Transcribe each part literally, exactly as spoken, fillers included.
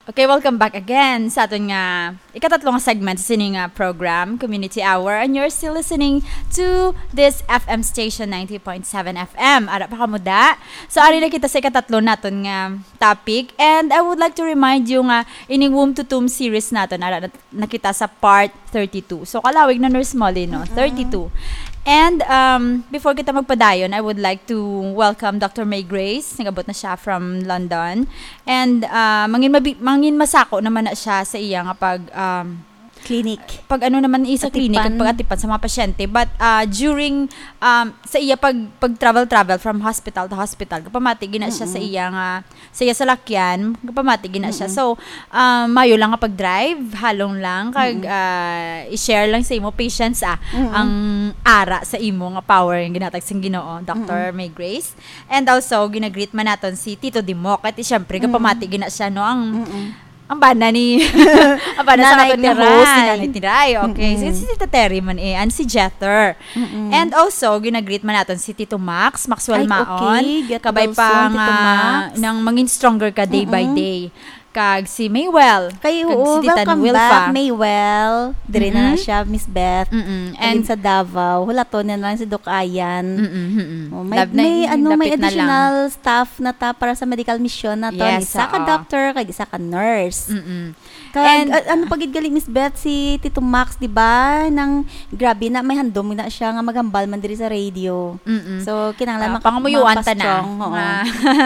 Okay, welcome back again sa aton nga ikatatlo nga segment sa sini nga program, Community Hour, and you're still listening to this F M station, ninety point seven F M. Ara pa kamo da. So, ari na kita sa ikatatlo naton nga topic, and I would like to remind you nga ining Womb to Tomb series naton, ara na, na kita sa part thirty-two. So, kalawig na, Nurse Molly, no? Mm-mm. Thirty-two. And, um, before kita magpadayon, I would like to welcome Doctor May Grace. Nag-abot na siya from London. And, uh, mangin mabi-, mangin masako naman na siya sa iya nga pag, um, Clinic. Pag ano naman, isa clinic, Atipan. Pag atipan sa mga pasyente. But, uh, during, um, sa iya pag, pag travel-travel from hospital to hospital, kapamati gina siya sa Mm-mm. iya nga, sa iya salakyan, kapamati gina siya. Mm-mm. So, um, mayo lang nga pag-drive, halong lang, kag, Mm-mm. uh, i-share lang sa imo patience, ah, Mm-mm. ang ara sa imo nga power nga ginatag sang Ginoo, Doctor Mm-mm. May Grace. And also, ginagreet man naton si Tito Dimok. At syempre, Mm-mm. kapamati gina siya, no? Ang, Mm-mm. ang bana ni, ang bana sa Nanay aton nga Tiray. Host, ni Nanay Tiray. Okay. Mm-mm. Si, si Tita Terry man eh, and si Jether. Mm-mm. And also, ginagreet man naton si Tito Max, Maxwell Ay, Maon. Okay. Get Kabay well pa soon, Tito nga Max. Nang mangin stronger ka day by Mm-mm. day. Kag si Maywell. Kay, Kag oo, si Tita welcome Wilfa. Back, Maywell. Dire na Mm-mm. siya, Miss Beth. Mm-mm. Halin And sa Davao. Hulaton na lang si Doc Ayan. Mm-mm, mm-mm. Oh, may, Love na may, yun. Ano, may Lapit na lang. Additional staff na ta para sa medical mission na to. Yes, Isa ka oo. Doctor, kag isa ka nurse. Mm-mm. Kag, And, a-, ano pa gid gali, Miss Beth, si Tito Max, di ba? Nang, grabe na, may handom na siya nga maghambal man diri sa radio. Mm-mm. So, kinahanglan Ah, maka-, pangumuyuan ta na. Mapa-strong, oo. Nga,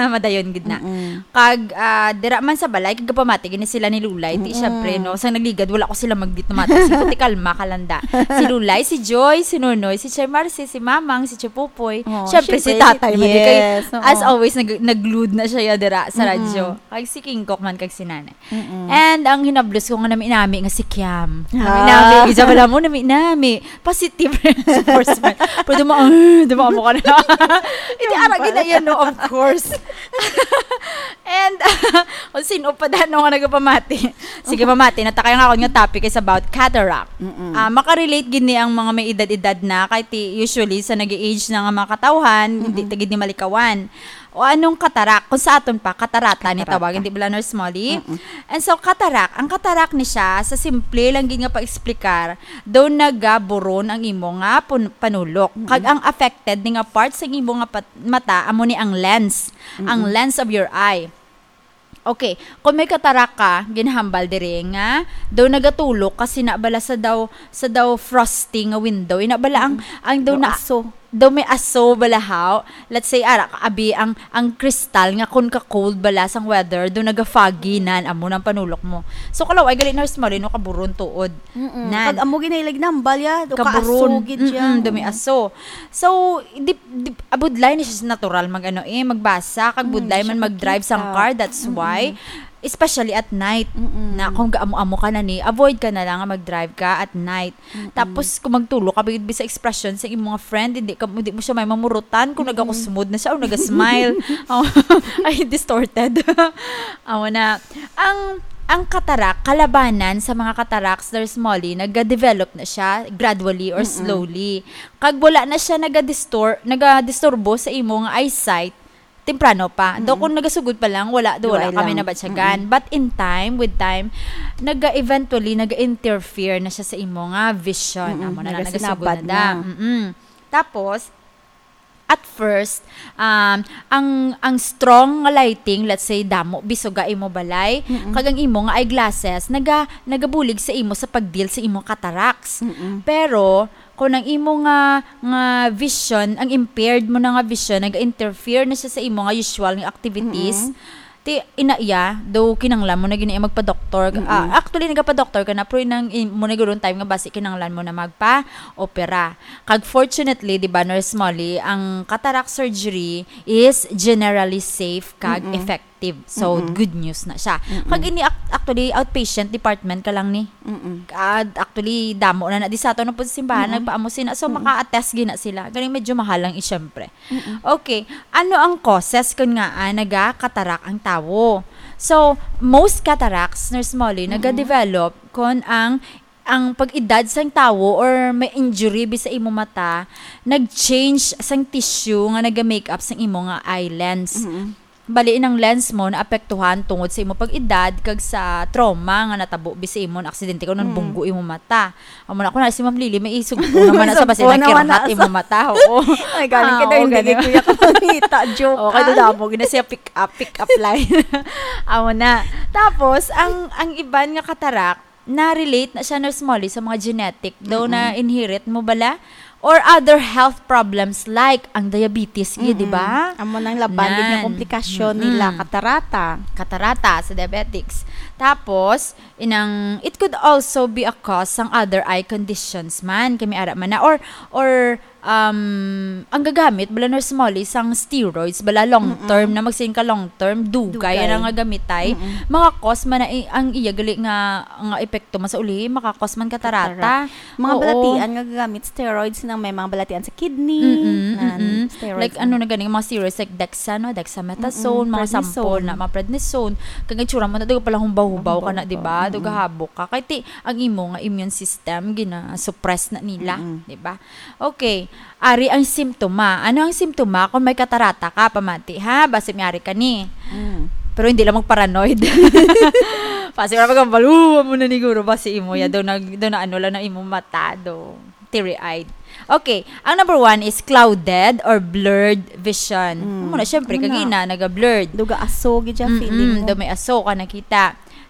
madayon gid na. Mm-mm. Kag, ah, dira man sa balay, kag gapamati gini sila ni Lulay. Ti, Mm-mm. syempre, no, sa nagligad, wala ko sila magditumata. Si Kuti Kalma, kalanda. Si Lulay, si Joy, si Nonoy, si Chay Marcy, si Mamang, si Chupupoy. Oh, Syempre, si syempre, si Tatay, man, kay, yes, oo. As always, nag-, nag-glued na siya dira sa Mm-mm. radyo. Kag si King Kok man, kag si Nanay. Mm-mm. And ang hinablos ko nga nami-nami nga si Kiam. Ah. Nami-nami, isa pala mo, nami-nami. Positive reinforcement. Pero duma-, ah, duma mo ka na. Hindi, Yung arang pala. Gina yan, no? Of course. And, kung sino pa dano nga nagapamati. Sige, pamati. Natakay nga ako nga topic is about cataract. Mm-mm. Ah, makarelate gid ni ang mga may edad-edad na. Kay ti, usually, sa nag-age na nga mga katawhan, hindi Mm-mm. ta gid ni malikawan. O anong katarak? Kung sa aton pa, katarata ni Katarata. Tawag, hindi ba, Nurse Molly? Mm-mm. And so, katarak, ang katarak ni siya, sa simple lang gid nga pag-explicar, daw nagaburon ang imo nga pun-, panulok. Mm-mm. Kag ang affected ni nga part sa imo nga pat-, mata, amo ni ang lens. Ang Mm-mm. lens of your eye. Okay, kung may katarak ka, ginhambal diri nga, daw nagatulok kasi na bala sa daw, sa daw frosty nga window. Ina bala ang, Mm-mm. ang daw Daw na aso. Daw may aso bala haw. Let's say, ara, abi ang, ang kristal nga kun ka-cold bala sang weather, daw naga-foggy nan, amo nang panulok mo. So, kalaw, ay gali na, Nurse Molly, no, kaburon tuod. Mm-mm. Nan. Kag amo ginahilig nambal ya, do ka Kaburon. Aso gid siya. Mm-mm, daw may aso. So, di, di, abudlay ni siya sa natural mag, ano, eh, magbasa, kag Mm, budlay siya man mag-drive sang makita. Car, that's Mm-mm. why. Especially at night. Mm-mm. Na kung gaamo-amo ka na ni, avoid ka na lang nga mag-drive ka at night. Mm-mm. Tapos, kung magtulok ka, bigod sa expression sa imong mga friend, hindi ka, hindi mo siya may mamurutan kung Mm-mm. nagakusmod na siya o nagasmile. Oh, ay, distorted. Amo na. Ang, ang katarak, kalabanan sa mga cataracts, Nurse Molly, nagadevelop na siya gradually or Mm-mm. slowly. Kag wala na siya nagadistor-, nagadisturbo sa imo nga eyesight, temprano pa. Daw Mm-mm. kung nagasugod pa lang, wala, daw wala Duay kami lang. Nabatyagan. Mm-mm. But in time, with time, naga-eventually, naga-interfere na siya sa imo nga vision. Mm-mm. Amo na na, nagasugod na Nagasinabat da. Na. Mm-mm. Tapos, at first, um, ang, ang strong nga lighting, let's say, damo, bisuga imo balay, Mm-mm. kag ang imo nga eyeglasses, naga-, nagabulig sa imo sa pag-deal sa imo cataracts. Mm-mm. Pero, kung ang imo nga, nga vision, ang impaired mo na nga vision, nag-interfere na siya sa imo nga usual nga activities, Mm-mm. ti, ina iya, daw kinanglan mo na gina magpa-doktor. Mm-mm. Ah, actually, nagapa-doktor ka na, pero inang, in, mo na guro time nga basi kinanglan mo na magpa-opera. Kag fortunately, di ba, Nurse Molly, ang cataract surgery is generally safe kag Mm-mm. effective. So, Mm-mm. good news na siya. Mm-mm. Kag ini, ac-, actually, outpatient department ka lang ni. Mm-mm. Ah, actually, damo na na di sa ato na po sa simbahan, Mm-mm. nagpaamo sina. So, Mm-mm. maka-attest gina sila. Galing medyo mahal lang, i-, syempre. Mm-mm. Okay. Ano ang causes kun nga, ah, nagakatarak ang tawo? So, most cataracts, Nurse Molly, Mm-mm. nagadevelop kun ang, ang pag-edad sang tawo or may injury bi sa imo mata, nag-change sang tissue nga naga-make up sang imo nga eye lens. Mm-mm. Bali, inang lens mo naapektuhan tungod sa imo pag-edad kag sa trauma nga natabo bi sa imo na aksidente kung Mm. nabunggo imo mata. Amo na, ako na si Ma'am Lily, may isugpo naman na sa basi Isugpo naman na nakirhat sa imo mata. Oo. Ay, galing Ah, kita, oo, hindi ganun. Kay Kuya ka mangita. Joke. Okay, Ay. Damo, gina siya pick up, pick up line. Amo na. Tapos, ang, ang iban nga katarak, na-relate na siya, Nurse Molly, sa mga genetic. Daw Mm-mm. Na-inherit mo bala? Or other health problems like ang diabetes, gid, di ba? Mm-mm. Amo nang laban, gid nga Nan. Komplikasyon nila, Mm-mm. Katarata. Katarata sa diabetics. Tapos, inang, it could also be a cause sang other eye conditions man, kami ara man na. Or, or, um, ang gagamit, bala, Nurse Molly, sang steroids, bala, long Mm-mm. term na, magsiling ka long term, dugay, Dugay. Ang nga gamitay. Mm-mm. Mga cause man na i-, ang iya gali nga, nga epekto man sa ulihi, makakos man katarata. Katarata. Mga Oo. Balatian nga gagamit steroids nang may mga balatian sa kidney, Mm-mm, nan, mm-mm. Steroids. Like, ano na gani, mga steroids like dexa, no? Dexamethasone, Mm-mm, mga prednisone. Sample na, mga prednisone. Kag itsura mo na, daw pala humbaw-humbaw ka na, di ba? Humbaw-humbaw. Daw Mm-mm. gahabok ka. Kay ti, ang imo nga immune system, gina-suppress na nila, Mm-mm. di ba? Okay. Ari ang simptoma. Ano ang simptoma kung may katarata ka, pamati, ha? Basi may ari ka ni. Mm. Pero hindi lang mag-paranoid. Basi wala magkambaluan mo na ni guro, basi imo ya, Mm. daw nag-, daw na ano lang na imo mata, daw teary-eyed. Okay, ang number one is clouded or blurred vision. Mm. Amo na, syempre, Amo na. Kagina, naga-blurred. Daw ga-aso gid siya, Mm-mm, feeling mo. Daw may aso ka nakita.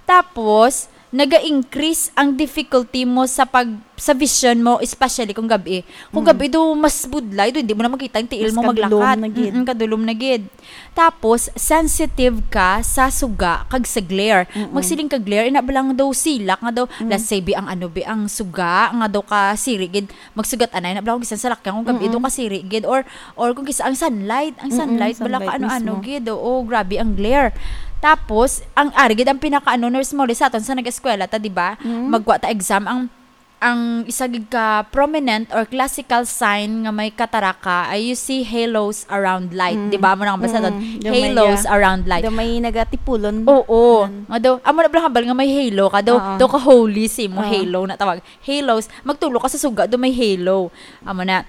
Tapos, naga-increase ang difficulty mo sa pag-, sa vision mo, especially kung gabi. Kung Mm. gabi daw mas budlay, daw hindi mo na makita ang tiil Mas mo kadulom maglakat. Na gid. Mm-mm, kadulom na gid. Tapos, sensitive ka sa suga kag sa glare. Mm-mm. Magsiling ka glare, ina ba lang daw silak nga daw, Mm. let's say, bi ang ano, bi ang suga nga daw ka siri gid, magsugat anay na bala kung bisan sa lakyan kung gabi Mm-mm. daw kasiri gid, or, or kung kisa ang sunlight, ang Mm-mm, sunlight, bala ka sunlight ano-ano mismo. Gid, oo, grabe ang glare. Tapos, ang ari gid ang pinakaano, Nurse Molly, sa aton sa nag-eskwela ta, di ba? Mm. Magwa ta exam, ang, ang isa gid ka prominent or classical sign nga may kataraka ay you see halos around light, Mm. di ba? Amo na ang basa Mm. doon, Daw may, halos ah, around light. Daw may nagatipulon. Oo. Yan. Nga daw, amo na bala hambal nga may halo ka, daw, Oo. Daw ka holy si mo, Oo. Halo na tawag. Halos, magtulok ka sa suga, do may halo. Amo na.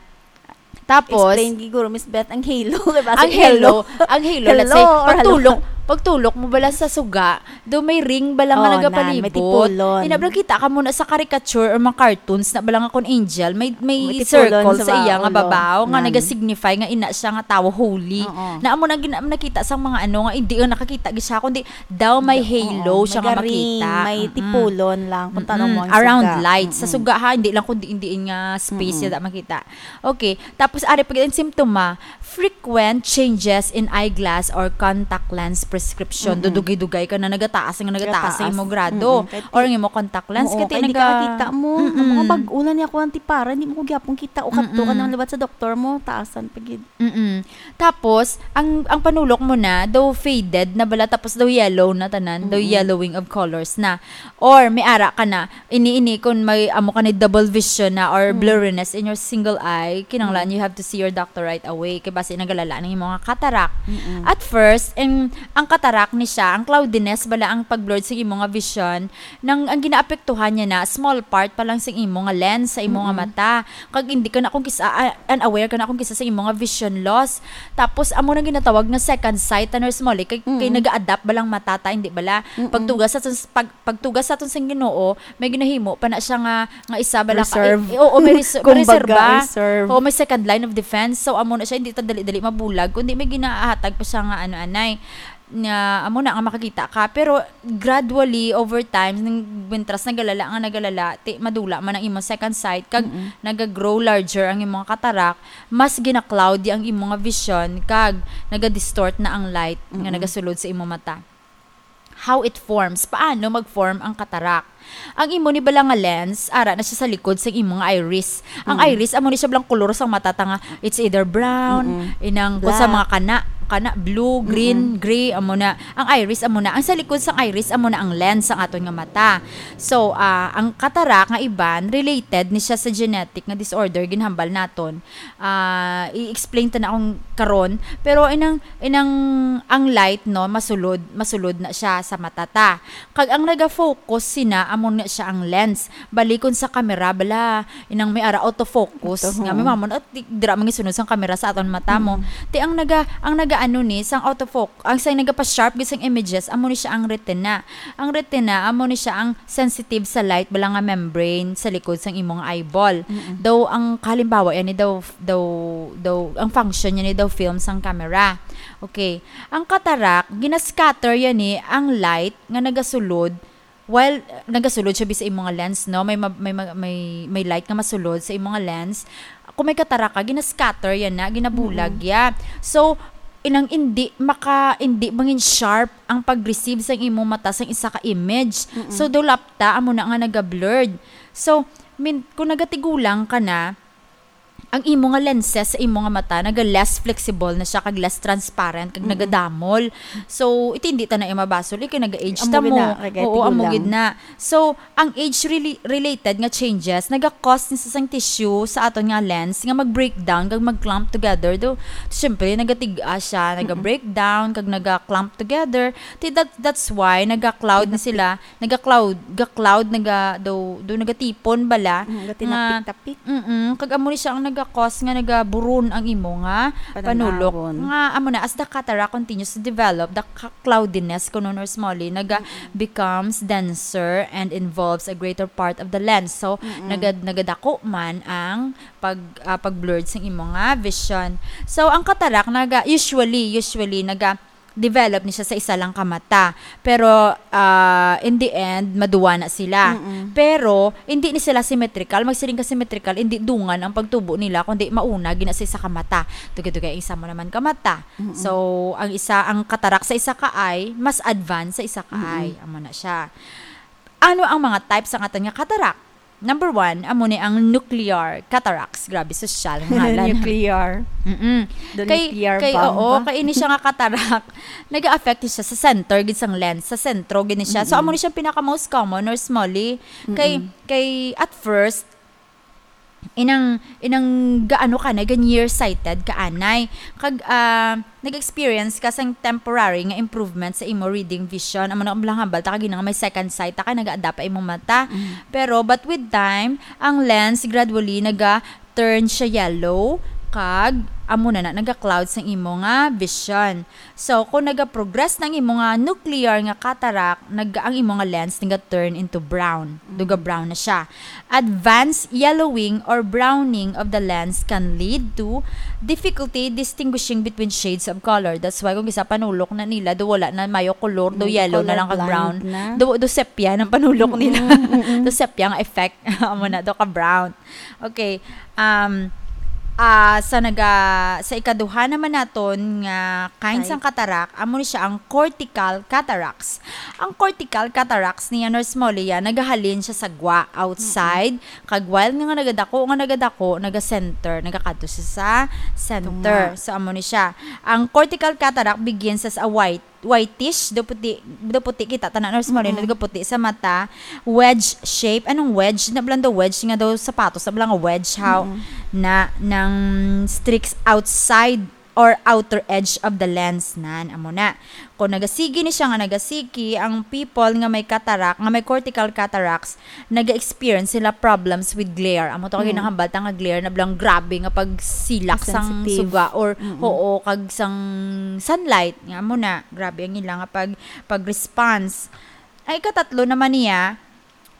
Tapos, explain gid guro, Miss Beth, ang halo. Kay basi ang halo, halo. Ang halo, let's say, Hello or hello? pagtulok, pagtulok mo bala sa suga, do may ring bala nga Oh, nagapalibot. Nan, may tipulon. Ina bala kita ka muna sa caricature or mga cartoons na bala nga kon angel, may, may May tipulon circle sa sa iya nga ulo. Babaw, nga Nan. Naga-signify nga ina siya nga tawo holy. Oo. Na amo na gina-, nakita sang mga ano nga, hindi nga nakakita gid siya, kundi daw may Da-, halo oo, siya may nga garing, makita. May Mm-mm. tipulon lang kung Mm-mm. Tanong mo ang Around suga. Light. Sa Mm-mm. Suga, ha, hindi lang kundi hindi nga space Mm-mm. Yada makita. Okay. Tapos, ari pa gid ang simptoma, frequent changes in eyeglass or contact lens prescription. Mm-mm. Dudugay-dugay ka na nagataas, nga nagataas ang Nagataas. Imo grado. Mm-mm. Kay ti-, Or ang imo contact lens. Oo, kay ti kay hindi naga-, ka kita mo. Mm-mm. Mga bag-o na niya ako ang tipara, hindi mo ko gyapon kita. O kadto ka Mm-mm. na liwat sa doktor mo, taasan pa gid. Mm-mm. Tapos, ang, ang panulok mo na, daw faded na bala, tapos daw yellow na tanan, daw Mm-mm. Yellowing of colors na. Or, may ara ka na, ini-ini, kung may amo ka ni double vision na or Mm. blurriness in your single eye, kinahanglan Mm. you have to see your doctor right away. Kay basi nagalala ang imo nga cataract. Mm-mm. At first, ang, ang cataract ni siya, ang cloudiness bala ang pag-blurred sa imo nga vision, nang ang ginaapektuhan niya na small part pa lang sa imo nga lens, sa imo nga Mm-mm. Mata. Kag hindi ka na kung kisa, ah, unaware ka na kung kisa sa imo nga vision loss. Tapos, amo nang ginatawag nga second sight, ta, Nurse Molly, kay, kay Mm. Nag-a-adapt ba lang mata ta, hindi bala? Mm-mm. Pagtugas sa, pag, pagtugas sa aton sang Ginoo, may ginahimo pa na siya nga, nga isa bala ka, Reserve. Eh, eh, oo, may res-, may Kumbaga, reserba. Reserve. Oo, may second line of defense. So, amo na siya, hindi ta dali-dali mabulag, kundi may ginahatag pa siya nga ano, anay. Nga, amo na nga makakita ka. Pero, gradually, over time, nang mintras nagalala nga nagalala, ti, madula man ang imong second sight, kag Mm-mm. Naga-grow larger ang imong cataract, mas gina-cloudy ang imong nga vision, kag naga-distort na ang light nga Mm-mm. Nagasulod sa imong mata. How it forms. Paano mag-form ang cataract? Ang imo ni bala nga lens, ara na siya sa likod sa imo nga iris. Ang Mm. Iris, amo ni siya bala ang kolor sa mata ta nga, it's either brown, Mm-mm. Inang, kung sa Black. Mga kana, kana, blue, green, Mm-mm. Gray, amo na. Ang iris, amo na. Ang sa likod sang iris, amo na ang lens sang aton nga mata. So, ah, ang cataract nga iban, related ni siya sa genetic nga disorder, ginhambal naton. Ah, i-explain ta na akong karon. Pero inang, inang, ang light, no, masulod, masulod na siya sa mata ta. Kag ang naga-focus sina, amo na siya ang lens. Balikon sa kamera, bala, inang may ara autofocus. Auto, nga, may oo. Mamon, at di-, dira mangisunod sang kamera sa aton mata mo. Mm. Ti ang naga-, ang naga ano ni, sang autofoc-, ang sang nagapa-sharp gid sang images, amo ni siya ang retina. Ang retina, amo ni siya ang sensitive sa light, bala nga membrane sa likod sang imong eyeball. Mm-mm. Daw, ang kahalimbawa yan ni daw, daw, daw, ang function niya ni daw film sang camera. Okay. Ang cataract, ginascatter yan ni ang light nga nagasulod while, uh, nagasulod siya bi sa imo nga lens, no? May ma-, may ma-, may, may light nga masulod sa imo nga lens. Kung may cataract ka, ginascatter yan na, ginabulag Mm-mm. ya. So, inang indi maka-, indi mangin sharp ang pag-receive sang imo mata sang isa ka image. Mm-mm. So, dulapta, amo na nga naga-blurred. So, min-, kung nagatigulang ka na, ang imo nga lenses sa imo nga mata naga less flexible na siya kag less transparent kag Mm-mm. nagadamol. So, iti hindi ta na iya mabasol, eh, kay naga-age Amo ta gid mo. na, kay Oo, amo tigulang. gid na. So, ang age rela-, related nga changes naga-cause ni sa sang tissue sa aton nga lens nga mag-breakdown kag mag-clump together. Do, syempre, nagatig-a siya, Mm-mm. naga-breakdown kag naga-clump together. Ti that, that's why naga-cloud ni Tinapik. sila, naga-cloud, ga-cloud, naga, do, do nagatipon bala Mm, nga tinapik-tapik. Mm-mm. Kag amo ni siya ang naga-cause nga nagaburon ang imo nga panulok. Panan-awon. Nga amo na, as the cataract continues to develop, the ca-, cloudiness, kuno, Nurse Molly, naga Mm-mm. becomes denser and involves a greater part of the lens. So, Mm-mm. naga-, nagadako man ang pag, ah, pag-blurred sa imo nga vision. So, ang cataract, naga, usually, usually, naga, develop ni siya sa isa lang ka mata. Pero, ah, in the end, maduwa na sila. Mm-mm. Pero, hindi ni sila symmetrical. Magsiling ka symmetrical, hindi dungan ang pagtubo nila, kundi mauna gina sa isa ka mata. Dugay-dugay ang isa mo naman ka mata. Mm-mm. So, ang isa, ang katarak sa isa ka eye, mas advanced sa isa ka Mm-mm. eye. Amo na siya. Ano ang mga types sa aton nga katarak? Number one, amo ni ang nuclear cataracts. Grabe, sosyal nga ngalan. Nuclear. Mm-mm. The Kay, nuclear kay, bomb. Oo, kay ini siya nga katarak, nag-affect siya sa center gid sang lens, sa sentro gid ni siya. So, Mm-mm. amo ni siya pinaka most common, Nurse Molly. Kay, Mm-mm. kay at first, inang, inang gaano ka na, ga nearsighted ka anay. Kag, ah, nag-experience ka sang temporary nga improvement sa imo reading vision. Amo na ang hambal ta kag ina nga may second sight ta kay nag-adapt pa imong mata. Mm. Pero, but with time, ang lens gradually naga-turn siya yellow, kag amo na na, naga-cloud sang imo nga vision. So, kung naga-progress na ang imo nga nuclear nga cataract, nag-, ang imo nga lens naga-turn into brown. Duga Mm. brown na siya. Advanced yellowing or browning of the lens can lead to difficulty distinguishing between shades of color. That's why kung isa panulok na nila, do wala na mayo color, do Mm, yellow na lang kag brown. Colorblind na. Do, do sepia ang panulok Mm, nila. mm, mm. Do sepia ang effect. Amo na, do ka brown. Okay. Um, ah, sa naga-, sa ikaduha naman naton nga kind Type. sang katarak, amo ni siya ang cortical cataracts. Ang cortical cataracts niya, Nurse Molly, yan, nagahalin siya sa gwa, outside, Mm-mm. kag while nga, nga nagadako, nga nagadako, naga-center, nagakadto siya sa center. Tunga. So, amo ni siya. Ang cortical cataract begins as a white whitish, do puti, do puti kita, tanan, Nurse Molly, Mm-mm. nagaputi sa mata, wedge shape. Anong wedge? Na bala daw wedge nga daw sapatos, na bala nga wedge, how? Mm-mm. Na, nang streaks outside or outer edge of the lens, nan, amo na. Kung nagasigi ni siya nga nagasiki, ang people nga may cataract, nga may cortical cataracts, naga-experience sila problems with glare. Amo to, kay Mm. ginahambal ta nga glare na bala nga grabe nga pagsilak sang Sensitive. suga or, Mm-mm. oo, kag sang sunlight. Nga amo na, grabe ang ila nga pag, pag-response. Ang ikatatlo naman niya,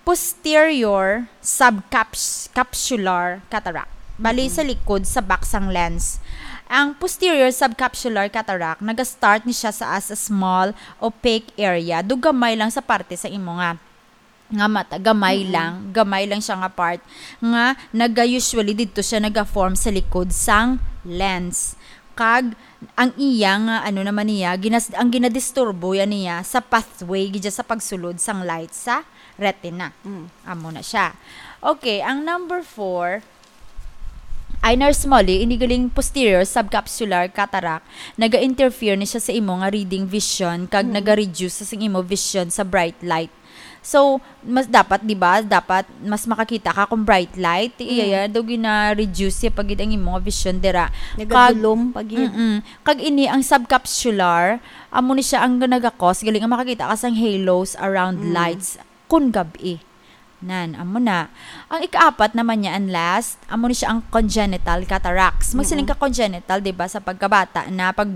posterior subcaps-, capsular cataract. Bali, Mm-mm. sa likod, sa back sang lens. Ang posterior subcapsular cataract, naga-start ni siya sa as a small, opaque area. Do gamay lang sa parte sa imo nga nga mata, gamay Mm-mm. lang, gamay lang siya nga part nga naga-, usually didto siya naga-form sa likod sang lens. Kag ang iya nga, ano naman niya, ginas-, ang ginadisturbo yan niya sa pathway gid sa pagsulod sang light sa retina. Mm. Amo na siya. Okay, ang number four, ay, Nurse Molly, ini galing posterior subcapsular cataract, naga-interfere ni siya sa imo nga reading vision, kag Mm. naga-reduce sa imo vision sa bright light. So, mas dapat, di ba, dapat mas makakita ka kung bright light, Mm. iya, daw gina-reduce siya pag ang imo nga vision dira. Kag, Nagadulom pa gid. Mm-mm. Kag ini ang subcapsular, amo ni siya ang naga-cause, galing ang makakita ka sang halos around Mm. lights kun gab-i. Nan, amo na. Ang ikaapat naman niya, and last, amo ni siya ang congenital cataracts. Magsiling Mm-mm. ka congenital, di ba, sa pagkabata na pag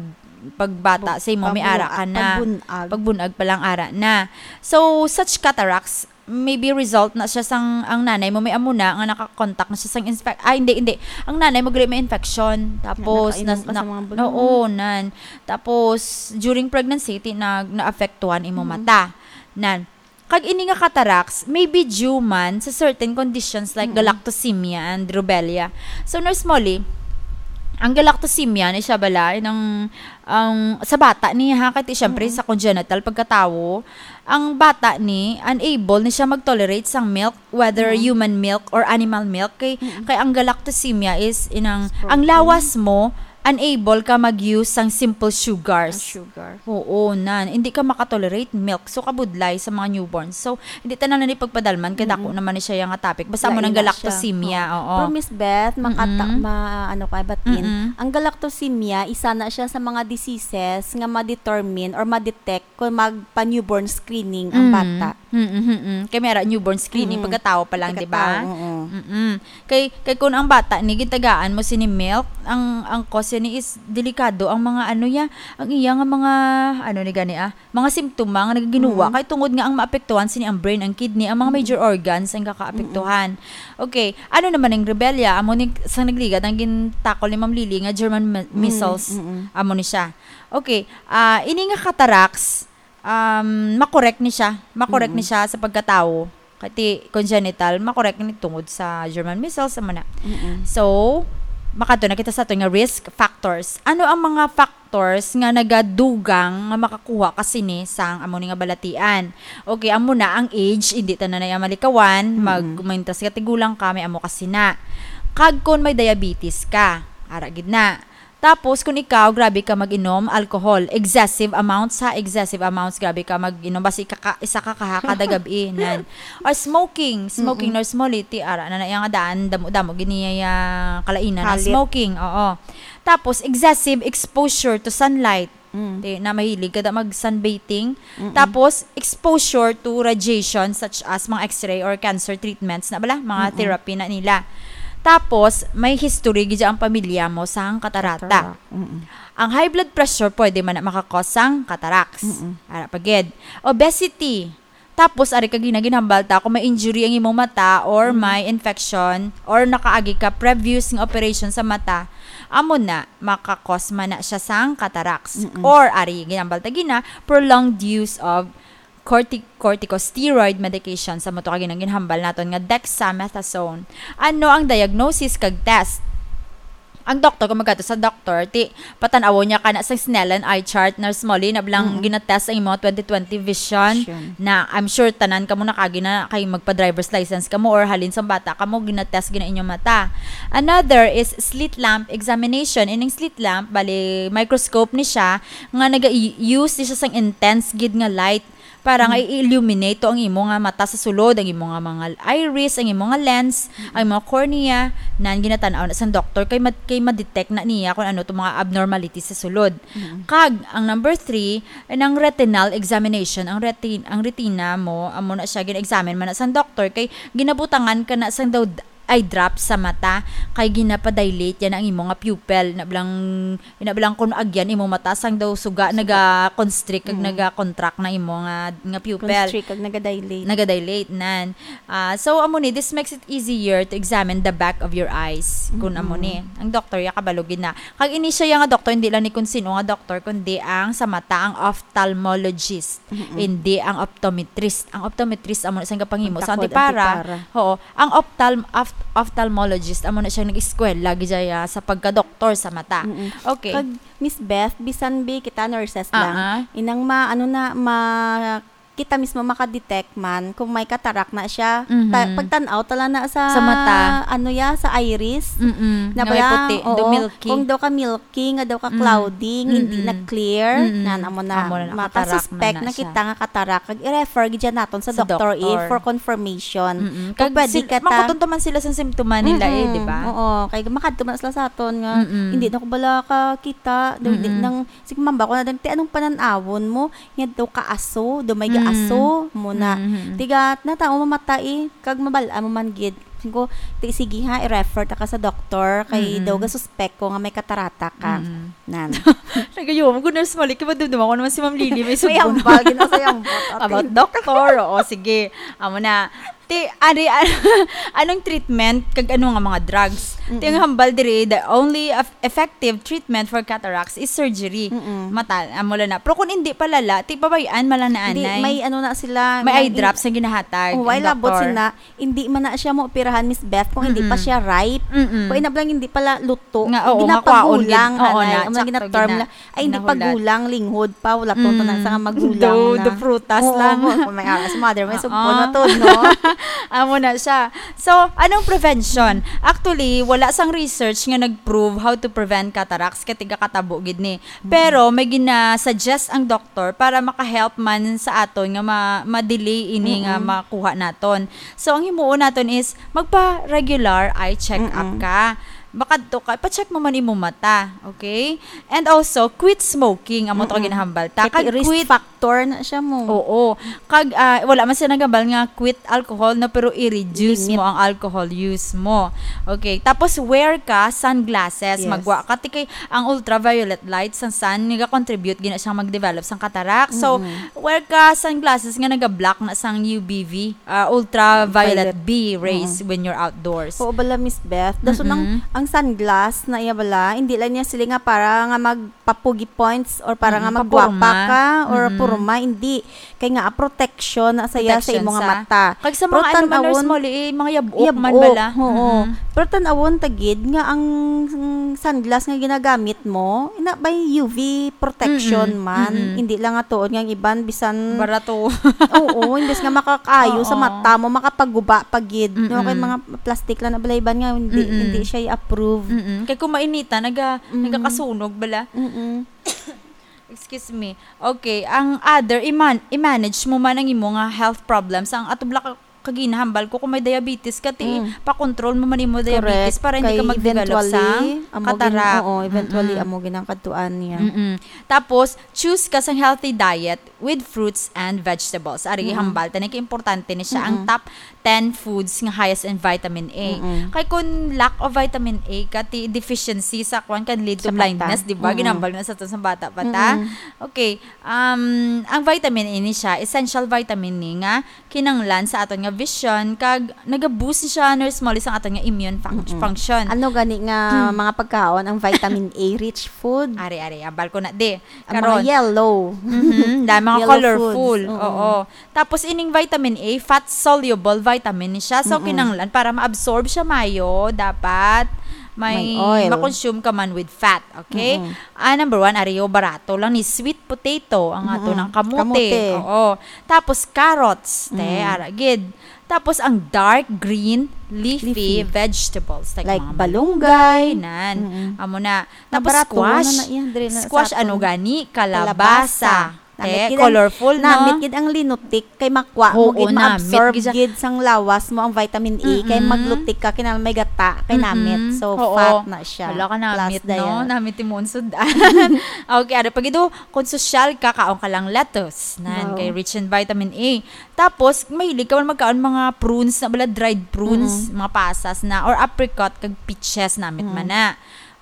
pagbata sa imo, may ara ka na. Pagbun-, pagbun-ag. Pagbun-ag pa lang ara na. So, such cataracts, maybe result na siya sang, ang nanay mo may amo na nga nakakontak na siya sang infec-, ah, hindi, hindi. Ang nanay mo gali may infection. Tapos, nakainom nas-, ka sa na-, mga bulong. Oo, nan. Tapos, during pregnancy, ti-, nag-, naapektuhan imo Mm. mata. Nan. Kag ini nga cataracts may be due man sa certain conditions like Mm. galactosemia and rubella. So, Nurse Molly, ang galactosemia ni siya bala, yun ang, ang, sa bata ni, ha, kay ti, syempre, Mm. sa congenital pagkatawo, ang bata ni, unable ni siya mag-tolerate sang milk, whether Mm. human milk or animal milk. Kay, Mm. kay ang galactosemia is inang, It's ang protein. lawas mo, unable ka mag-use sang simple sugars. Ah, sugar. Oo, nan. Hindi ka makatolerate milk. So, kabudlay sa mga newborn. So, hindi tanan na ni pagpadalman, kay Mm-mm. dako naman ni siya nga topic. Basta mo Lain nang na siya. galactosemia, Oo. oo. Pero, Miss Beth, makata-, Mm-mm. ma-, ano ka, batin. Mm-mm. Ang galactosemia, isa na siya sa mga diseases nga ma-determine or ma-detect kung magpa-newborn screening ang Mm. bata. Mm, mm, mm. Kay may ara newborn screening, Mm. pagkatawo pa lang, di ba? Pagkatawo, oo. Mm-mm. Kay, kay kung ang bata ni gitagaan mo sini milk, ang, ang cause ni is delikado ang mga ano ya, ang iya nga mga, ano ni gani, ah, mga simptoma nga nagaginuwa. Mm. Kay tungod nga ang maapektuhan sini ang brain, ang kidney, ang mga Mm. major organs ang kakaapektuhan. Mm. Okay, ano naman ang rubella? Amo ni sa nagligad ang gintakol ni Ma'am Lily nga German me-, Mm, measles. Mm-mm. Amo ni siya. Okay, ah, ini nga cataracts, um, makorek ni siya. Makorek ni Mm-mm. siya sa pagkatawo. Kay ti congenital, makorek ni tungod sa German measles, amo na. Mm-mm. So, makadto na kita sa aton nga risk factors. Ano ang mga factors nga nagadugang nga makakuha ka sini sang amo ni nga balatian? Okay, amo na ang age, hindi tanan na iya malikawan. Mag-, Mm-mm. mintras ka tigulang ka, may amo ka sina. Kag kung may diabetes ka, ara gid na. Tapos, kung ikaw, grabe ka mag-inom, alcohol, excessive amounts, ha, excessive amounts, grabe ka mag-inom, basi ka, ka, isa ka kaha kada gabi, nan. Or smoking, smoking, Mm-mm. Nurse Molly, ti, ara na na iya nga daan, damo-damo gid niya kalainan, ha, Halit. smoking, oo. Tapos, excessive exposure to sunlight. Mm. Ti, na mahilig ka da mag-sunbathing. Mm-mm. Tapos, exposure to radiation such as mga X-ray or cancer treatments na bala, mga Mm-mm. therapy na nila. Tapos, may history gid ang pamilya mo sang katarata. Katarata. Mm-mm. Ang high blood pressure pwede man na makakos sang cataracts. Mm-mm. Ara pa gid. Obesity. Tapos, ari ka gina-, ginhambal ta kung may injury ang imong mata or Mm. may infection or nakaagi ka previous nga operation sa mata, amo na, makakos man na siya sang cataracts. Mm-mm. Or, ari, ginhambal ta gina, prolonged use of corti-, corticosteroid medication. Sa mo to ka gina-, ginhambal naton nga dexamethasone. Ano ang diagnosis kag test? Ang doktor, kung magkadto sa doktor, ti, patan-awon niya ka na sa Snellen eye chart, Nurse Molly, na blang Mm-mm. ginatest ang imong twenty twenty vision, Vision. na I'm sure tanan kamo nakagi na kay magpa-driver's license kamo or halin sa bata kamo, ginatest gina inyong mata. Another is slit lamp examination. Ining slit lamp, bali, microscope ni siya, nga naga-use ni siya sang intense gid nga light. Para nga Mm. i-illuminate to ang imo nga mata sa sulod, ang imo nga mga iris, ang imo nga lens, Mm. ang imo nga cornea, nan ginatan-aw na sang doktor kay ma-, kay ma-detect na niya kung ano to mga abnormality sa sulod. Mm. Kag ang number three, nang retinal examination, ang retin-, ang retina mo, amo na siya gin-examine man na sang doktor kay ginabutangan ka na sang daw d-, eye drop sa mata kay ginapadilate yan ang imo nga pupil na blang Ina bilang kun agyan imo mata sang daw suga Suga. naga-constrict kag Mm. naga-contract na imo nga, nga pupil. Constrict kag nagadilate. Nagadilate, nan. Ah, so, amo ni, this makes it easier to examine the back of your eyes. Kun amo Mm-mm. ni. Ang doktor, ya kabalo gid na. Kag ini siya ya nga doktor, hindi lang ni kun sino nga doktor, kundi ang sa mata, ang ophthalmologist. Mm-mm. Hindi ang optometrist. Ang optometrist, amo na siyang gapangimo sa Pagtakod, antipara. antipara. Oo. Ang ophthalm-, opht-, ophthalmologist, amo na siyang nag-eskwela, gid siya, sa pagka-doktor sa mata. Mm-mm. Okay. Kag, Miss Beth, bisan bi kita nurses lang, Ah, ah. inang ma-, ano na, ma-, kita mismo makadetect man kung may katarak na siya. Mhm. Ta-, pagtan-aw tala na sa, Sa mata. ano ya, sa iris. Mm-mm. Na Nga may bala, puti, oo, dumilky. kung daw ka milky, nga daw ka Mm. cloudy, nga hindi na Mm-mm. clear, Mm-mm. na, amo na, Amo na, makasuspect katarak na na na siya. kita nga katarak, kag i-refer gid siya naton sa Sa doktor, eh, doktor. for confirmation. Mm-mm. Kung Kag pwede sil-, ka ta- mangkuton to man sila sa simptoma nila, eh, Mm-mm. di ba? Oo, kay makadto man sila sa aton nga, Mm-mm. hindi na ko bala kakita, daw hindi Mm-mm. nang, sige, mamba ko na din, "Te, anong panan-awon mo?" Nga daw kaaso, daw may Mm. gaaso, mo na. Mm-hmm. Tiga, natao mo mata, eh, kag mabal-a mo man gid. Ko, "Ti, sige ha, i-refer ta ka sa doktor, kay Mm-mm. daw ga-suspect ko nga may katarata ka." Mm-mm. Nan. Nagayo mo, good nurse Malik, kaya dumdum ako naman si Ma'am Lily, may May subo na. Hambal, ginaw sa hambal. About doctor, oo, sige. Amo na. Ti, ari, an-, anong treatment, kag ano nga mga drugs? Ti, ang Mm-mm. hambal diri, the only eff-, effective treatment for cataracts is surgery. Mm-mm. Mata, amo lang na. Pero kung hindi palala, ti, babayan, mala na Hindi, anay. May ano na sila, May eye may drops na ginahatag Oh, ang ay, labot doktor. Sina, hindi man na siya mo operahan, Miss Beth, kung hindi pa Mm-mm. siya ripe. Mm-mm. Kung inablang hindi pala luto, Nga, oo, nga kwaon gid. Ginapagulang, Oo, anay. Na, Ang mga sakto ginaterm gid na. Na, ay, hindi Nahulat. Pagulang, linghod pa, wala to, to na Mm. sa nga magulang Daw, na. The prutas Oo, lang. Kung may aras, mother, may Oo. Sugpon na to, no? Amo na siya. So, anong prevention? Actually, wala sang research nga nag-prove how to prevent cataracts, kay tiga katabo gid ni. Mm. Pero may gina-suggest ang doktor para maka-help man sa aton nga ma-, ma-delay ini nga Mm-mm. makuha naton. So, ang himuon naton is magpa-regular eye check-up Mm-mm. ka. Makadto ka, pa-check mo man imong mata, okay? And also, quit smoking, amo to Mm-mm. ginahambal ta. Kay Kag risk quit factor na siya mo. Oo. Kag, ah, wala man siya nagambal nga quit alcohol, no, pero i-reduce Limit. Mo ang alcohol use mo. Okay. Tapos, wear ka sunglasses. Yes. Magwa ka. Ti kay ang ultraviolet light sang sun, nagacontribute gina siyang mag-develop sang cataract. So, Mm-mm. wear ka sunglasses nga naga-block na sang U V B, ah, ultraviolet Violet. B rays Mm-mm. When you're outdoors. Oo bala, Miss Beth. Dason ang, Mm-mm. ang sunglass na iya bala, hindi lang niya sila nga para nga magpapugi points or para Mm-mm. Nga magwapa Papurma. Ka or Mm-mm. Purma, hindi. Kay nga, ah, protection na saya sa Protection imo nga sa mata. Kag sa Pero mga ano man, Nurse tan-awon, Molly, eh, mga yabok man yabok, bala. Oo. Mm-mm. Pero tan-awon ta gid nga ang, ang sunglass nga ginagamit mo, ina bay U V protection Mm-mm. Man. Mm-mm. Hindi lang nga tuod nga ang iban bisan Barato. Oo, imbes nga makakaayo sa Oo. Mata mo, makapaguba pa gid, no? Kay Mm-mm. Mga plastic lang na bala iban nga hindi, Mm-mm. Hindi siya i-approve. Mm-mm. Kay kung mainita, naga-, Mm-mm. Nagakasunog bala. Mm-mm. Excuse me. Okay, ang other, i-man-, i-manage mo man ang imo nga health problems. Ang atubla ka, kaginahambal ko, kung may diabetes ka, ti, Mm. Pa-control mo man imo diabetes. Correct. Para hindi ka Kay mag-develop eventually, sa amo gin-, cataract. Oo, eventually, Mm-mm. Amo ginang kadtuan niya. Mm-mm. Tapos, choose ka sang healthy diet with fruits and vegetables. Ari, Mm-mm. Hambal, tani ka importante ni siya, ang Mm-mm. Top ten foods nga highest in vitamin A. Mm-mm. Kay kung lack of vitamin A ka, ti deficiency sa kwan can lead to Sa mata. Blindness, di ba? Mm-mm. Ginambal na sa to sa bata pa ta. Mm-mm. Okay, um, ang vitamin A ni siya, essential vitamin ni nga kinanglan sa aton nga vision, kag naga-boost ni siya, Nurse Molly, sa aton nga immune func-, Mm-mm. Function. Ano gani nga Mm. Mga pagkaon ang vitamin A rich food? Ari, ari, ambal ko na, di. Ang mga Karon. Yellow. Mhm, dahil mga yellow colorful. Foods, oo. Oo. Tapos ining vitamin A, fat-soluble vitamin ni siya. So, mm-mm, kinahanglan para ma-absorb siya mayo, dapat may, may oil, ma-consume ka man with fat, okay? Mm-mm. Ah, number one, ariyo, barato lang ni sweet potato, ang ato, mm-mm, ng kamote. Kamote. Oo. Tapos carrots, te, mm, ara gid. Tapos ang dark green leafy, leafy, vegetables, like, like mga malunggay, malunggay, nan. Mm-mm. Amo na. Tapos barato squash. Na na iya, dire na sa aton. Squash, ano gani? Kalabasa. Kalabasa. Namit, eh, gid ang, colorful, no? Namit gid ang linotik kay makwa mo, oo, gid namit ma-absorb gid siya, gid sang lawas mo ang vitamin A, kay, mm-mm, maglutik ka, kinahanglan may gata, kay, mm-mm, namit. So, oo, fat na siya. Wala ka namit, plus, no? Diet. Namit mo ang sudan. Okay, ano pa gid, oh, kung sosyal ka, kaon ka lang lettuce. Nan, wow, kay rich in vitamin A. Tapos, mahilig ka man magkaon mga prunes na bala, dried prunes, mm-mm, mga pasas na, or apricot, kag peaches, namit man, mm, na.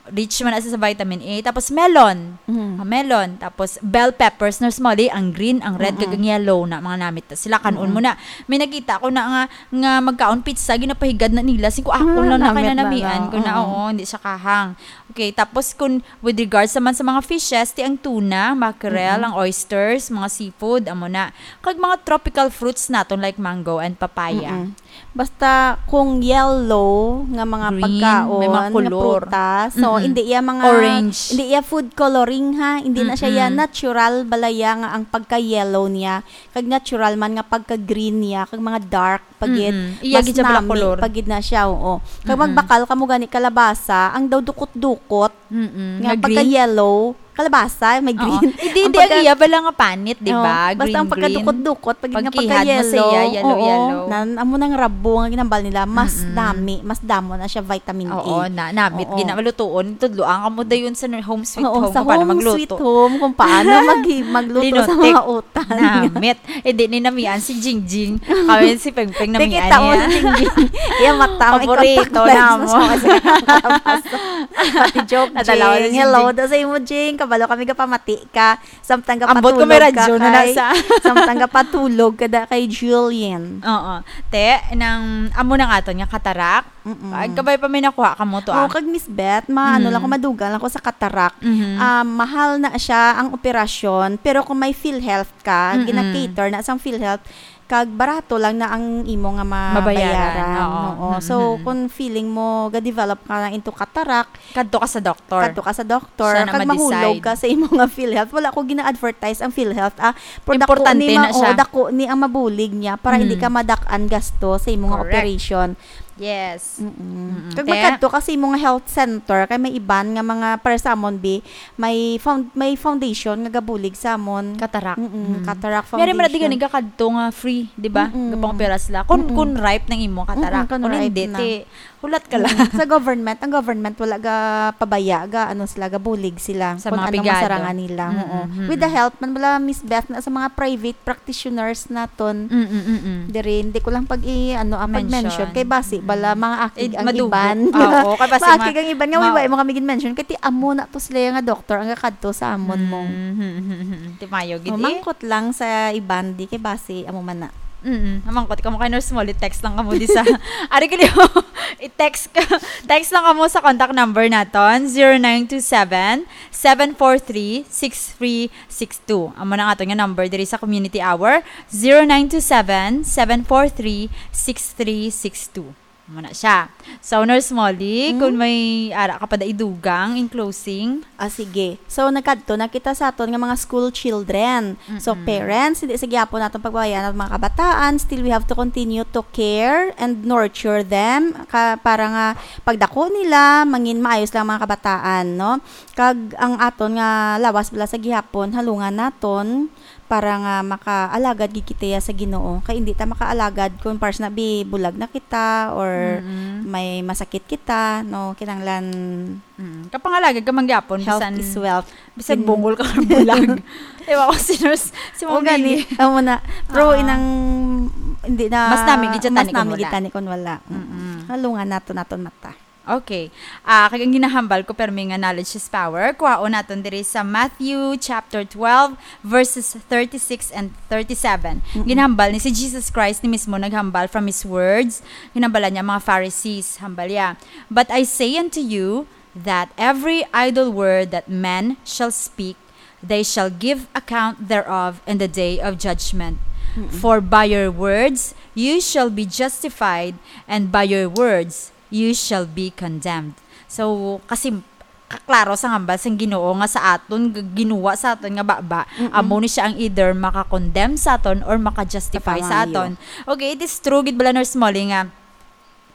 Rich man na siya sa vitamin A. Tapos melon. Mm. Ah, melon. Tapos bell peppers, Nurse Molly, ang green, ang red, mm-mm, kag ang yellow na, mga namit. Sila kanon, mm-mm, mo na. May nakita ko na nga, nga magkaon pizza, ginapahigad na nila. Sing ko, ah, ako, mm, lang na namit na, kinanamian ko na, mm-mm, oo, hindi siya kahang. Okay, tapos kung with regards naman sa mga fishes, ti ang tuna, mackerel, mm-mm, ang oysters, mga seafood, amo na. Kag mga tropical fruits naton like mango and papaya. Mm-mm. Basta kung yellow nga mga, green, pagkaon, may mga, nga kolor, prutas, so, mm-mm, hindi iya mga, orange, hindi iya food coloring, ha, hindi na siya, mm-mm, iya natural bala iya nga ang pagka-yellow niya, kag natural man nga pagka-green niya, kag mga dark pa gid, mm-mm, iya mas gid siya pala nami kolor pa gid na siya, oo. Kag, mm-mm, magbakal kamo gani kalabasa, ang daw dukot-dukot, mm-mm, nga, nga green, pagka-yellow, kalabasa, may Oo. green. Hindi, Ang hindi, pagka- ang iya bala nga panit, di Oo, ba? basta ang Green, green. pagkadukot-dukot, pag Pagkihad mo nagpaka-yellow, siya, yellow, oo, yellow. nan-, amo nang rabo nga ginambal nila, mas Mm-mm. dami, mas damo na siya vitamin A. Oo, na, namit, Oo. gina-, malutuon, tudloan ka mo dayon sa home sweet Oo, home sa kung paano home magluto. sweet home, kung paano mag-, magluto sa Linotek. mga utan. Namit. Eh, di ni namian si Jingjing. Kami si Pengpeng Di namian kita mo niya. si Jingjing. Iya, mata, may Paborito contact lens na namo. siya kasi kalabasa. Pati joke, Nadala ko Jing. si Hello, Jingjing. da sa imo, Jing. Kabalo kami gapamati ka. Samtang Ambot ko may gapatulog ka radyo na kay, nasa. samtang gapatulog ka da kay Julian. Oo. Te, nang amo nang aton nga katarak. Mm-mm. Ay, kabay pa may nakuha ka mo to, Oh, ah. kag Miss Beth, ma-, ano lang ko, Mm. madugang lang ko sa katarak. Mhm. Ah, mahal na siya ang operasyon, pero kung may PhilHealth ka, Mm-mm. gina-cater na sang PhilHealth, kag barato lang na ang imo nga Mabayaran, mabayaran. oo. Oo. Mm-mm. So, kung feeling mo ga-develop ka na into cataract, Kadto ka sa doktor. kadto ka sa doktor, Siya na kag mahulog ma-decide. ka sa imo nga PhilHealth. Wala ko gina-advertise ang PhilHealth, ah. Pero dako Importante ni ma-, na siya. oo, dako ni ang mabulig niya para hindi Mm. ka madak-an gasto sa imo nga Correct. operation. Yes. Mm-mm. Mm-mm. Kag Te? magkadto ka sa imo nga health center, kay may iban nga mga, para sa amon, bi, may found-, may foundation nga gabulig sa amon. Cataract. Mm-mm, Mm. cataract Meron man na di foundation. gani kakadto nga free, di ba? Mm-mm. Gapang-opera sila. Kung, Mm-mm. kung ripe nang imo cataract. Mm-mm, kung Kung ripe hindi, na. te, hulat ka lang. Mm-mm. Sa government, ang government wala ga pabaya, ga ano sila, gabulig sila Sa kung mga ano pigato. masarangan nila. Mm-mm, Oo. mm-mm. With the help man bala, Miss Beth, na sa mga private practitioners naton. Mm-mm, mm-mm. Diri, hindi ko lang pag i-, ano, ah, pag-mention. Mention. Kay basi, bala, Mm-mm. mga akig Eh, ang madugok. iban. Ah, oo, kay basi Mga ma-, akig ang iban nga, ma- way, way mo kami gin-mention. Kay ti amo na to sila nga doktor ang kakadto sa amon mo. Mm, mm, mm, mm, mm. Ti mayo gid, eh. Mamangkot lang sa iban, di kay basi, amo man na. Mm, mamangkot kamo kay Nurse Molly, text lang kamo di sa, ari ko, i-text ka, text lang kamo sa contact number naton, zero nine two seven, seven four three, six three six two. Amo na nga aton nga number diri sa Community Hour, zero nine two seven, seven four three, six three six two. Amo na siya. So, Nurse Molly, Hmm? kung may ara ka pa da idugang in closing. Ah, sige. So, nagkadto na kita sa aton nga mga school children. So, Mm-mm. parents, hindi sa gihapon naton pagbabayaan ang mga kabataan. Still, we have to continue to care and nurture them ka-, para nga pagdako nila, mangin maayos lang mga kabataan, no? Kag ang aton nga lawas bala sa gihapon, halungan naton para nga makaalagad gid kita sa Ginoo. Kay hindi ta makaalagad kung, para sa nabi, bulag na kita or Mm-mm. may masakit kita, no? Kinahanglan Mm. Kapangalagad ka man gyapon, health bisan, is wealth. bisan Kin- bungol ka or bulag. Ewan ko, si Nurse, si O, Ma'am gani, Lily. amo na. Pero Oo. inang, hindi na, Mas nami gid siya mas tani kung nami wala. gid tani kung wala. Mm-mm. Mm-mm. Halungan naton, naton mata. Okay. Ah, kag ang ginahambal ko, permi nga knowledge is power. Kuhaon naton diri sa Matthew chapter twelve, verses thirty-six and thirty-seven. Mm-mm. Ginahambal ni si Jesus Christ, ni mismo naghambal from his words. Ginhambalan niya ang mga Pharisees. Hambal niya, "But I say unto you that every idle word that men shall speak, they shall give account thereof in the day of judgment. Mm-mm. For by your words you shall be justified, and by your words you shall be condemned." So, kasi kaklaro sa hambal sang Ginoo nga sa aton, g-, ginuwa sa aton nga baba, Mm-mm. amo ni siya ang either maka-condemn sa aton or maka-justify sa Kapangayo. aton. Okay, it is true gid bala, Nurse Molly, nga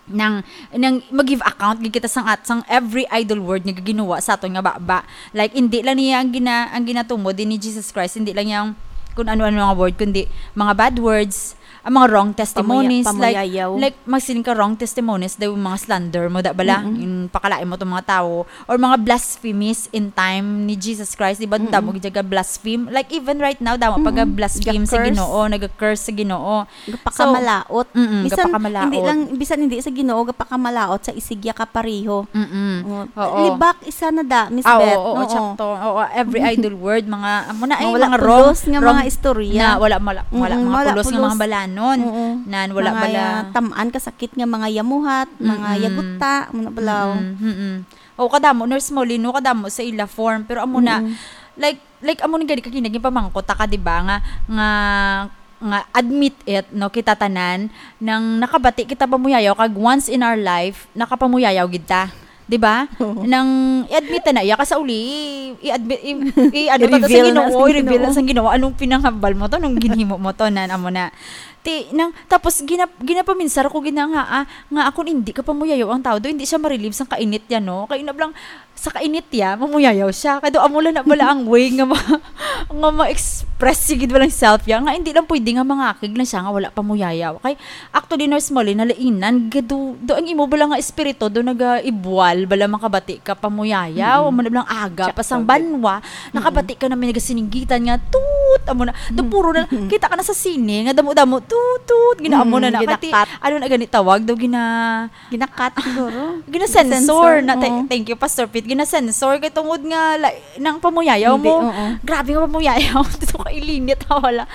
nang, nang mag-give account gid kita sang at-, sang every idle word nga ginuwa sa aton nga baba. Like, hindi lang niya ang gina-, ang ginatumod din ni Jesus Christ, hindi lang niya ang kung ano-ano nga word, kundi mga bad words, ang mga wrong testimonies, Pamuya-, like, pamuyayaw. like, magsiling ka wrong testimonies, daw mga slander mo, da bala, Mm-mm. yung pakalain mo tong mga tao, or mga blasphemies in time ni Jesus Christ, di ba? Mm-mm. Damo gid ka blaspheme. Like, even right now, damo pa Mm-mm. ga-blaspheme sa Ga-curse. Ginoo, naga-curse sa Ginoo. Gapakamalaot. So, mm-mm, Bisan gapakamalaot. hindi lang, bisan hindi sa Ginoo, gapakamalaot sa isigya ka pareho. Mm-mm. Oh, Oo. libak isa na da, Miss Ah, Beth. oo, oo, Oo. tsakto. Oo, every idle word, mga, amo na, ay, Mga wala mga wrong, pulos nga wrong mga istorya. na wala, wala, wala, Mm-mm, mga wala pulos nga pulos. mga balanon. Oo. Nan, wala Mga bala. tam-an kasakit nga mga yamuhat, mga Mm-mm. yaguta, amo na bala. Mm-mm, mm-mm. O, kadamo, Nurse Molly, no, kadamo sa ila form. Pero amo na, Mm-mm. like, like, amo ni gani kagina, ginpamangkot ta ka, di ba, nga, nga, nga admit it, no, kita tanan, nang nakabati kita pamuyayaw, kag once in our life, nakapamuyayaw gid ta. Di ba? Oo. Nang i-admit ta na iya, ka sa uli, i-, i-admit, i-, i-, ano ta to sa I-reveal na Ginoo, sa i-reveal Ginoo. na sa Ginoo, anong pinanghambal mo to, anong ginhimo mo to, nan, amo na. Ti, nang, tapos gina-, ginapaminsar ko gina nga, ah, nga akon hindi ka pamuyayaw ang tao, do hindi siya ma-relieve sang kainit niya, no? Kay nablang, sa kainit niya, mamuyayaw siya. Kay do amo lang na bala ang way nga ma-, nga ma-express sigid bala ang self niya, nga hindi lang pwede nga mangakig lang siya nga wala pamuyayaw. Kay, actually, Nurse Molly, nalainan, gado, do ang imo bala nga espiritu, do naga-ibwal, bala makabati ka pamuyayaw, Mm. amo na bala ang aga, Tsakto pa sang gid. banwa, Mm. nakabati ka na may nagasininggitan nga, tut, amo na, do Mm. puro na, Mm. kita ka na sa sine, nga damo-damo, tut, tut, ginaamo na Mm, na. Kay ti-, ginakat. ano na gani tawag, do gina-, Ginakat siguro. Gina-sensor Sensor, na, th-, oo. thank you, Pastor Pete, gina-sensor, kay tungod nga, la-, nang pamuyayaw Hindi, mo, oo. grabe nga pamuyayaw, dito ka ilinit, ha, wala.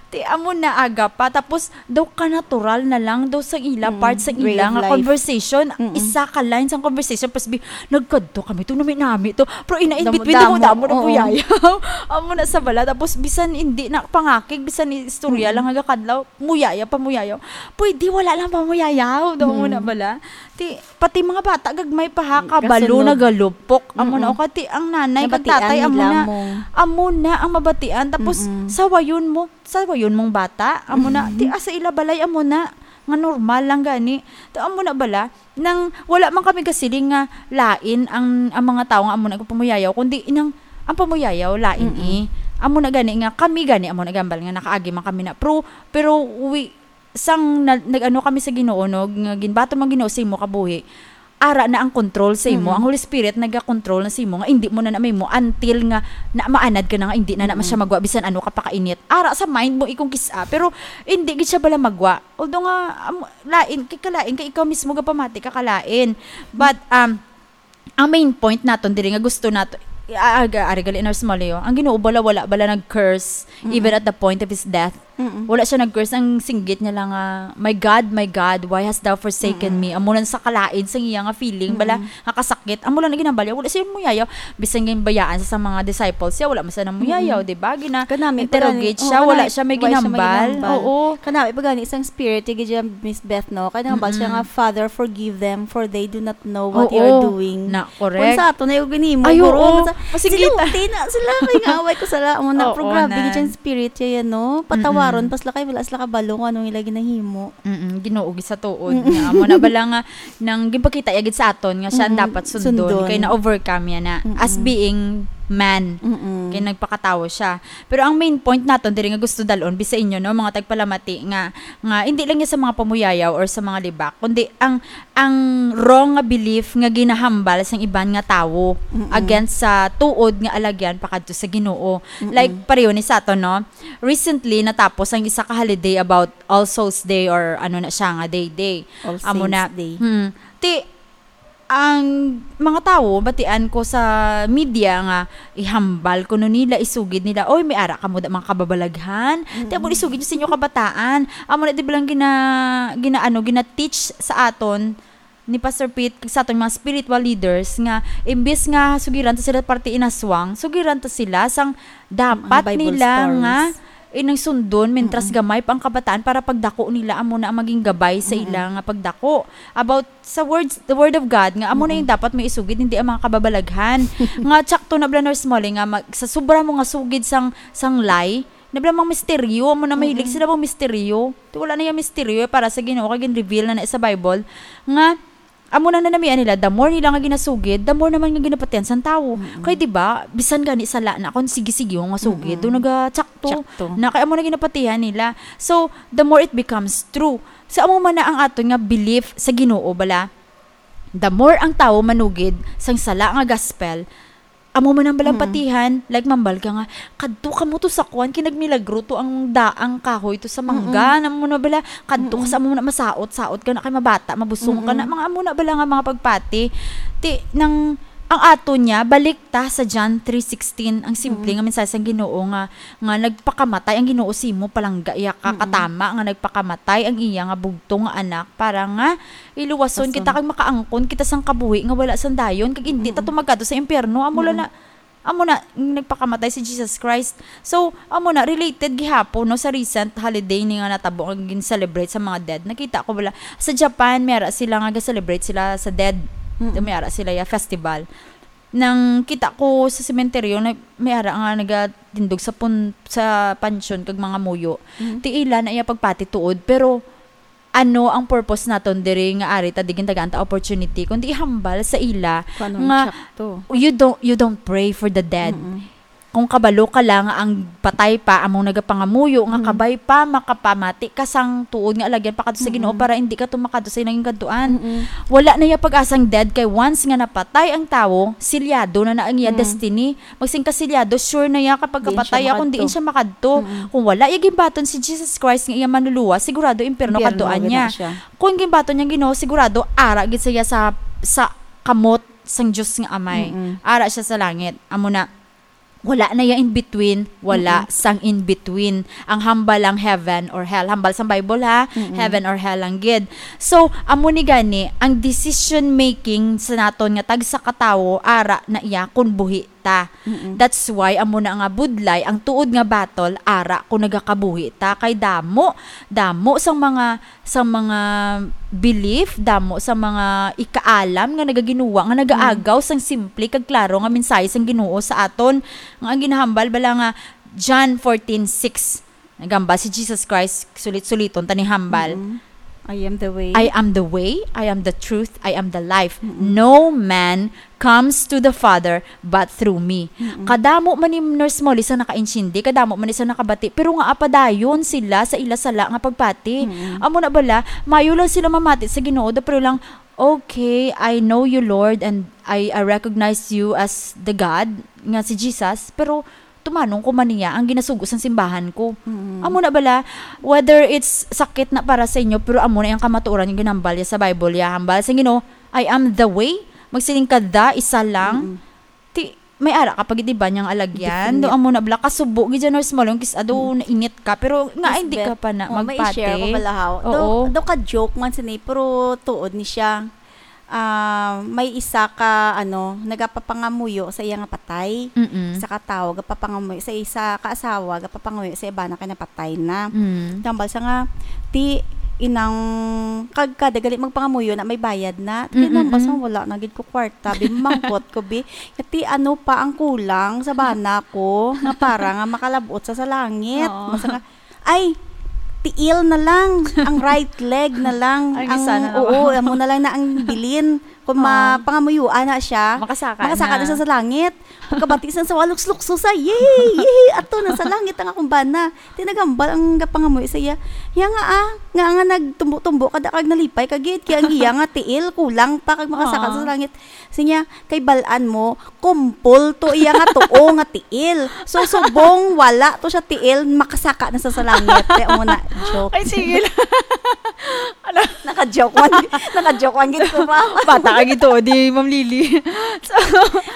Ti, amo na aga pa, tapos, daw ka natural na lang, daw sa ila, Mm, part sa way ila of nga life. conversation, Mm-mm. isa ka line sa conversation, pas bi-, nagkadto kami, to nami-nami to. Pero ina, in between, Damo-damo, damo-damo na oo. puyayaw. Amo na sa bala, tapos bisan hindi na pangakig, bisan istorya Mm-mm. lang nga kadlaw, muyayaw, pamuyayaw. Pwede, wala lang pamuyayaw, daw mo na Mm-mm. bala. Ti, pati mga bata, gagmay pa ha, Mm, kabalo, kasunod. nagalupok. Amo na, Mm-mm. o kati, ang nanay, kag Nabatian tatay, amo nila na, mo. amo na ang mabatian. Tapos, Mm-mm. sawayon mo, sawayon mong bata, amo na, Mm-hmm. ti, asa ila balay, amo na, nga normal lang gani. Ta, amo na bala, nang wala man kami kasiling nga lain ang, ang mga tawo nga amo na pamuyayaw, kundi inang, ang pamuyayaw, lain Mm-mm. eh. Amo na gani nga, kami gani, amo na gambal nga nakaagi man kami na. Pero, pero we, sang na-, nag-ano kami sa Ginoo, no, nga ginbaton man Ginoo sa imo kabuhi, ara na ang control sa imo. Mm-mm. Ang Holy Spirit nagakontrol na sa imo, nga hindi mo na na mahimo until nga na maanad ka na nga hindi na na Mm-mm. siya magwa bisan ano ka pakainit. Ara sa mind mo ikong kis-a, pero hindi gid siya bala magwa. Although nga, am-, lain, kay kalain, kay ikaw mismo gapamati ka kalain. But, um, ang main point naton diri nga gusto nato, i-, a-, aga-, ari gali na sa Maleo, ang Ginoo bala, wala bala nag-curse, Mm-mm. even at the point of his death. Mm-mm. Wala siya nag-curse. Ang singgit niya lang nga, "My God, my God, why hast thou forsaken Mm-mm. me?" Amo lang sa kalain, sa iya nga feeling, bala, Mm-mm. nga kasakit. Amo lang na ginambal niya. Wala siya muyayaw. Bisan nga bayaan sa, sa mga disciples siya, wala man siya namuyayaw, Mm-mm. di ba? Gina-, Kanami pa interrogate gani, siya, oo, wala kanami, siya may why siya may ginambal. ginambal? Oo. Kanami pa gani, isang spirit, yung gid siya, Miss Beth, no? Kaya nga ba siya Mm-mm. nga, "Father, forgive them, for they do not know what they are Oo. doing." Na, Kung correct. sa ato na yung ginimo, Ay, guro, oo. sa, Masigita. Sinuti na sila, kay nga away ko sala, amo na, Oo, pero grabe, na. gid siyang spirit siya yan, no? Patawaron, Mm-mm. pa sila kay wala sila kabalo kung anong ila ginahimo. Mm-mm, Ginoo, gid sa tuod Mm-mm. nga. Amo na bala nga, nang gipakita ya gid sa aton nga siya ang Mm-mm. dapat sundon, Sundon. kay na-overcome ya na, as Mm-mm. being man. Mm-mm. Kay nagpakatawo siya. Pero ang main point naton diri nga gusto dalon, bisa inyo, no, mga tagpalamati, nga, nga hindi lang ya sa mga pamuyayaw or sa mga libak, kundi ang ang wrong nga belief nga ginahambal sang iban nga tawo Mm-mm. against sa tuod nga alagyan pakadto sa Ginoo. Mm-mm. Like, pareho ni sa aton, no? Recently, natapos ang isa ka holiday about All Souls Day or ano na siya nga day, day. All Amo Saints na. Day. Hmm. Ti, ang mga tawo, batian ko sa media nga ihambal kuno nila, isugid nila, "Oy, may ara kamo da mga kababalaghan." Ti, amo Mm-mm. isugid niyo sa inyo kabataan. Amo na, di ba lang gina-, gina-, ano, gina-teach sa aton ni Pastor Pete, kag sa aton mga spiritual leaders, nga imbis nga sugiran ta sila parte inaswang, sugiran ta sila sang dapat Mga Bible nila stories. nga inang sundon, mintras Mm-mm. gamay pa ang kabataan, para pagdako nila, amo na ang maging gabay sa Mm-mm. ila nga pagdako. About sa words, the word of God, nga amo na Mm-mm. yung dapat may isugid, hindi ang mga kababalaghan. Nga tsakto na bala, Nurse Molly, nga mag-, sa sobra mo nga sugid sang, sang lie, na bala mga misteryo, amo na mahilig Mm-mm. sila mga misteryo. Ti wala na yung misteryo para sa Ginoo, kay gin-reveal na na sa Bible, nga amo na nanamian nila, the more nila nga ginasugid, the more naman nga ginapatihan sang tawo. Mm-mm. Kay, di ba, bisan gani sala na, kung sige-sige nga sugid, Mm-mm. do nagatsakto Tsakto. na, kay amo na ginapatihan nila. So, the more it becomes true. So, amo man na ang aton nga belief sa Ginoo, bala. The more ang tawo manugid sang sala nga gospel, amo man ang Mm. balampatihan, like, mambal ka nga, "Kadto ka mo to sa kuwan, kinagmilagro to ang daang kahoy to sa mangga." Mm-mm. Na mo na bala, "Kadto ka Mm-mm. sa amo na masaot-saot ka na kay mabata, mabusong ka na." Mm-mm. Mga amo na bala nga mga pagpati. Ti, nang, ang ato niya, balik ta sa John three sixteen, ang simple Mm-mm. nga mensahe sang Ginoo nga, nga nagpakamatay ang Ginoo simo, palangga iya ka, Mm-mm. katama nga nagpakamatay ang iya nga bugtong nga anak para nga iluwason Pason. kita kag makaangkon kita sang kabuhi nga wala sang dayon, kag indi ta Mm-mm. tumagado sa impyerno. Amo Mm-mm. na, amo na, nagpakamatay si Jesus Christ. So, amo na, related gihapon, no, sa recent holiday ni nga natabo nga gin-celebrate sa mga dead. Nakita ko bala, sa Japan, may ara sila nga ga-celebrate sila sa dead. Mm-mm. May ara sila ya festival. Nang kita ko sa sementeryo, na may ara nga nagatindog sa pun-, sa pansyon kag mga muyo. Mhm. Ti ila na iya pagpati tuod, pero ano ang purpose naton diri nga ari ta di gintagaan ta opportunity, kundi ihambal sa ila Kung anong nga tsakto. you don't, you don't pray for the dead. Mm-mm. Kung kabalo ka lang nga ang patay pa among nagapangamuyo nga Mm. kabay pa makapamati ka sang tuod nga alagyan pa kadto sa Ginoo Mm-mm. para hindi ka tumakadto sa naging kadtuan. Mm-mm. Wala na iya pag-asang dead kay once nga napatay ang tawo, silyado na na ang iya Mm. destiny. Magsing ka silyado, sure na iya kapag Diin siya kapatay, kung diin makadto. siya makadto. Mm-mm. Kung wala iya ginbaton si Jesus Christ nga iya manluluwas, sigurado impyerno Impyerno kadtuan gid niya. na siya. Kung ginbaton niya Ginoo, sigurado ara gid siya sa, sa kamot sang Dios nga Amay. Mm-mm. Ara siya sa langit. Amo na, wala na iya in between, wala Mm-mm. sang in between. Ang hambal lang heaven or hell. Hambal sang Bible, ha, Mm-mm. heaven or hell lang gid. So, amo ni gani, ang decision making sa naton nga tagsa ka tawo, ara na iya kung buhi ta. Mm-mm. That's why amo na nga budlay, ang tuod nga battle, ara kung nagakabuhi ta. Kay damo, damo sang mga, sang mga belief, damo sa mga ikaalam nga nagaginuwa, nga nagaagaw Mm. sang simple kag klaro nga mensahe sang Ginoo sa aton, nga ang ginahambal bala nga John fourteen six. Nagambal si Jesus Christ, sulit-suliton ta ni hambal. Mm-mm. "I am the way." "I am the way, I am the truth, I am the life. Mm-mm. No man comes to the Father but through me." Mm-mm. Kadamo man ni Nurse Molly sa nakaintindi, kadamo man ni sa nakabati, pero nga apadayon sila sa ila sala nga pagpati. Mm-mm. Amo na bala, mayo lang sila mamati sa Ginoo, da, pero lang, "Okay, I know you, Lord, and I, I recognize you as the God," nga si Jesus, pero tumanong ko man niya ang ginasugo sang simbahan ko. Mm. Amo na bala, whether it's sakit na para sa inyo, pero amo na yung kamatuoran yung ginambal niya sa Bible, ya hambal sa Ginoo, "I am the way." Magsiling ka, "The, isa lang." Mm. Ti, may ara ka pa gid iba niyang alagyan. Different. Do amo na bala, kasubo gid dyan, Nurse Molly, kis-, ado, Mm. nainit ka, pero nga Yes, hindi ka Beth. pa na Oh, may magpati. i-share ko bala, haw. Oo. Do, do ka joke man sini, pero tuod ni siya. Ah, may isa ka, ano, nagapapangamuyo sa iya nga patay. Mm-mm. Isa ka tawo, gapapangamuyo sa isa ka asawa, gapapangamuyo sa iba na kay napatay na. Mm. Tambal sa nga, ti, inang, kag kada gali magpangamuyo na may bayad na. Ti, Mm-mm. tambal sa nga wala na gid ko kwarta, bi, mangkot ko, bi. Ti, ano pa ang kulang sa bana ko nga para nga makalabot sa, sa langit? Oo. Basta nga, ay, tiil na lang, ang right leg na lang, Ang ang, isa na lang. oo, amo na lang na ang bilin. Kung Oo. mapangamuyuan na siya, Makasaka makasaka na. na siya sa langit. Pagkabati sa, sa walok lukso sa, yay, yay, ato na sa langit ang akong bana. Tinagambal ang gapangamuyo sa iya. Iya nga, ah, nga, nga nagtumbo-tumbo ka, da kag nalipay ka gid, kaya ang iya nga tiil, kulang pa kag makasaka Oo. sa langit. Sinya, kay balaan mo, kumpol to iya nga tuo nga tiil. So, subong wala to siya tiil, makasaka na sa, sa langit. Kaya mo na, joke. Ay, sige lang. Ano? Naka-joke man, naka-joke man gid ko, ma'am. Bata ka gito, di, Ma'am Lily. So,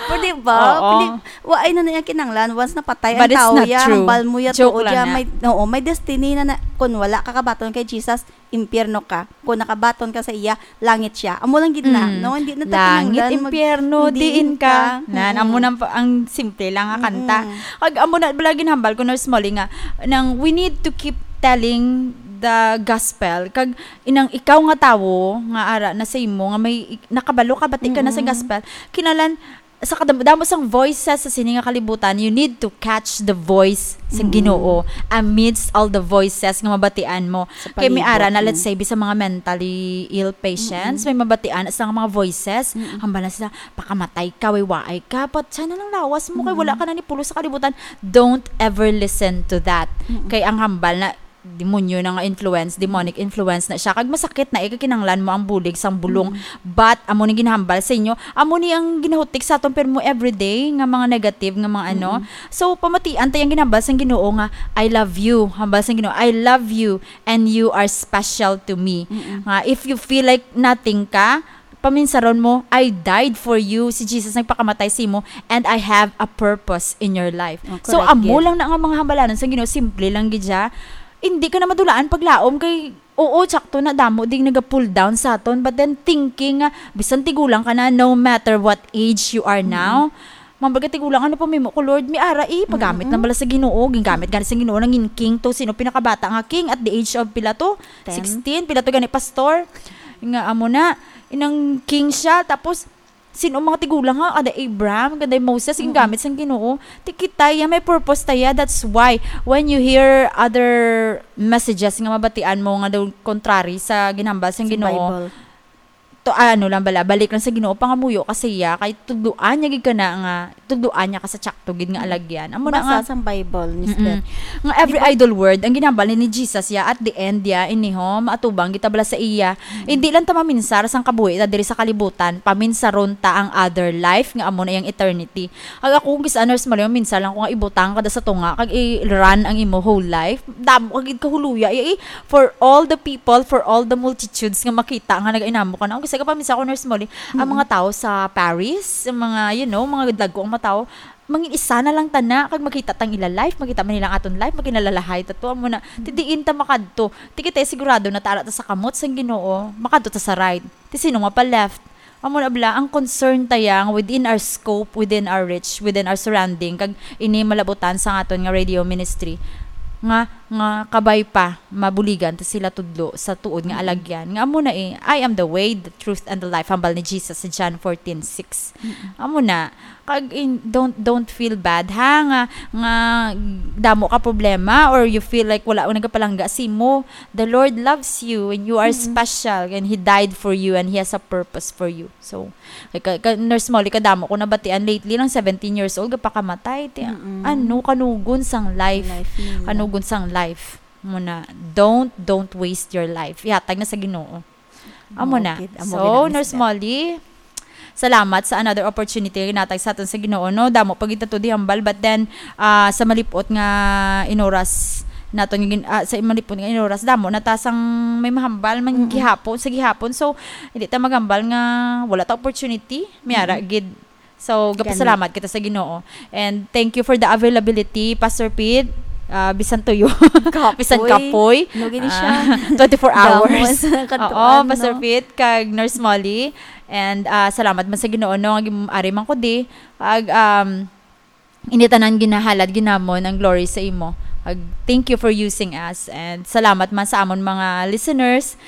Pero di ba? Oo. Pwede, wa, ay na na yung kinanglan. Once napatay But ang it's tao, not ya, true. hambal mo ya Joke tuo, lang ya, na. may, oo, may destiny na, na, kung wala ka kabaton kay Jesus, impyerno ka. Kung nakabaton ka sa iya, langit siya. Amo lang gid na, Mm. no? Hindi na ta Langit, kinahanglan mag-, impyerno, hindi diin ka. ka. Nan, Mm-mm. amo na pa, ang simple lang nga kanta. Mm-mm. Kag amo na bala ginhambal ko, Nurse Molly, nga, nang we need to keep telling the gospel. Kag inang ikaw nga tawo, nga ara na sa imo, nga may ik-, nakabalo ka, bati ka na sa Mm-mm. gospel, kinahanglan, sa kadamo-damo sang voices sa sini nga kalibutan, you need to catch the voice sa Mm. Ginoo amidst all the voices nga mabatian mo. Sa Kay may palibot ara na, mo. let's say, bisan mga mentally ill patients, Mm-mm. may mabatian sa mga voices, Mm-mm. hambal na sila, "Pakamatay ka, way waay ka, but sana lang lawas mo, kay wala Mm-mm. ka na ni pulo sa kalibutan." Don't ever listen to that. Mm-mm. Kay ang hambal na, demonyo na nga influence, demonic influence na siya. Kag masakit na, eh, kay kinahanglan mo ang bulig sang bulong. Mm. But, amo ni ginahambal sa inyo, amo ni ang ginahutik sa aton pirmo everyday nga mga negative nga mga ano. Mm. So, pamatian ta yung ginahambal sang Ginoo nga, "I love you." Hambal sang Ginoo, "I love you and you are special to me." Mm-mm. Nga, if you feel like nothing ka, paminsaron mo, "I died for you." Si Jesus nagpakamatay sa imo, "And I have a purpose in your life." Oh, So, correct amo gid. lang na nga mga hambalanon sa Ginoo, simple lang gid siya. Hindi ka na madulaan paglaom kay, oo, sakto na, damo ding naga-pull down sa aton. But then, thinking nga, bisan tigulang ka na, no matter what age you are Mm. now, mambal ka tigulang, ano pa may mo ko, Lord? May ara, eh, pagamit Mm-mm. na bala sa Ginoo. Gingamit gani sa Ginoo, nangin king to. Sino pinakabata nga king at the age of pila to? Ten. Sixteen? Pila to gani, pastor? Nga amo na, inang king siya, tapos, Sino mga tigulang nga, kada Abraham, kada Moses, ang Mm-mm. gamit sang Ginoo? Ti kita, ya, may purpose ta, ya. That's why, when you hear other messages nga mabatian mo nga daw contrary sa ginhambal sang Sa Ginoo, Bible. to, ano lang bala, balik lang sa Ginoo, pangamuyo ka sa iya, kay tudloan niya gid ka na nga, tudloan niya ka sa tsakto gid nga Mm. alagyan. Amo na Basa nga sang Bible, Miss Mm-mm. Beth. Nga every Di ba idle word, ang ginhambal ni Jesus, ya, at the end, ya, iniho, maatubang kita bala sa iya. Mm. Hindi lang ta maminsar sang kabuhi ta diri sa kalibutan, paminsaron ta ang other life, nga amo na yang eternity. Kag ako, kung kis-a, Nurse Molly, minsan lang ko nga ibutang kada sa tunga, kag i-run ang imo whole life. Damo ka gid kahuluya, ya, eh, for all the people, for all the multitudes nga makita nga nagainamo ka na. Kung kis-a ka pa, minsan ko, Nurse Molly, ang Mm. mga tao sa Paris, ang mga, you know, mga dagko ang mga tao, mangin isa na lang tana, kag makita tang ila life, makita man nila ang aton life, makinalalahay ta to, amo na, ti diin ta makadto. Ti kita sigurado na tara ta sa kamot sang Ginoo, makadto ta sa right. Ti sino nga pa left? Amo na bala, ang concern ta yang within our scope, within our reach, within our surrounding, kag ini malabutan sa aton nga radio ministry, nga, nga kabay pa, mabuligan ta sila tudlo sa tuod nga Mm. alagyan. Nga amo na eh, "I am the way, the truth, and the life," hambal ni Jesus sa John fourteen six. Mm. Amo na, kag in, don't, don't feel bad, ha, nga, nga damo ka problema or you feel like wala ang nagapalangga sa imo. The Lord loves you and you are Mm. special and He died for you and He has a purpose for you. So, kay ka, ka, Nurse Molly, kadamo ko nabatian lately, lang seventeen years old, gapakamatay. Ti, Mm-mm. ano, kanugon sang life. Life nila. Kanugon sang life. Muna, don't, don't waste your life. Ihatag na sa Ginoo. Amo Amo na. gid, amo So, gid, Miss Nurse Beth. Molly, salamat sa another opportunity nga ginhatag sa aton sa Ginoo, no? Damo pa gid ta to di hambal, but then, ah, sa malipot nga inoras naton nga gin-, ah, sa malipot nga inoras, damo na ta sang may mahambal man Mm-mm. gihapon, sa gihapon. So, hindi ta maghambal nga wala ta opportunity. May ara Mm-mm. gid. So, Gani. gapasalamat kita sa Ginoo. And thank you for the availability, Pastor Pete. Ah, bisan tuyo. Kapoy. Bisan kapoy. No, gini siya. Ah, twenty-four Gamos. hours. Katuan, Oo, Pastor no? Pete, kag Nurse Molly. And, ah, salamat man sa Ginoo, no, nga gim-, ari man ko di. Kag, um, ini tanan ginahalad ginamon ang glory sa imo. Kag thank you for using us. And salamat man sa amon mga listeners.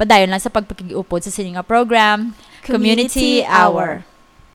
Padayon lang sa pagpakig-upod sa sini nga program, Community Community Hour. Hour.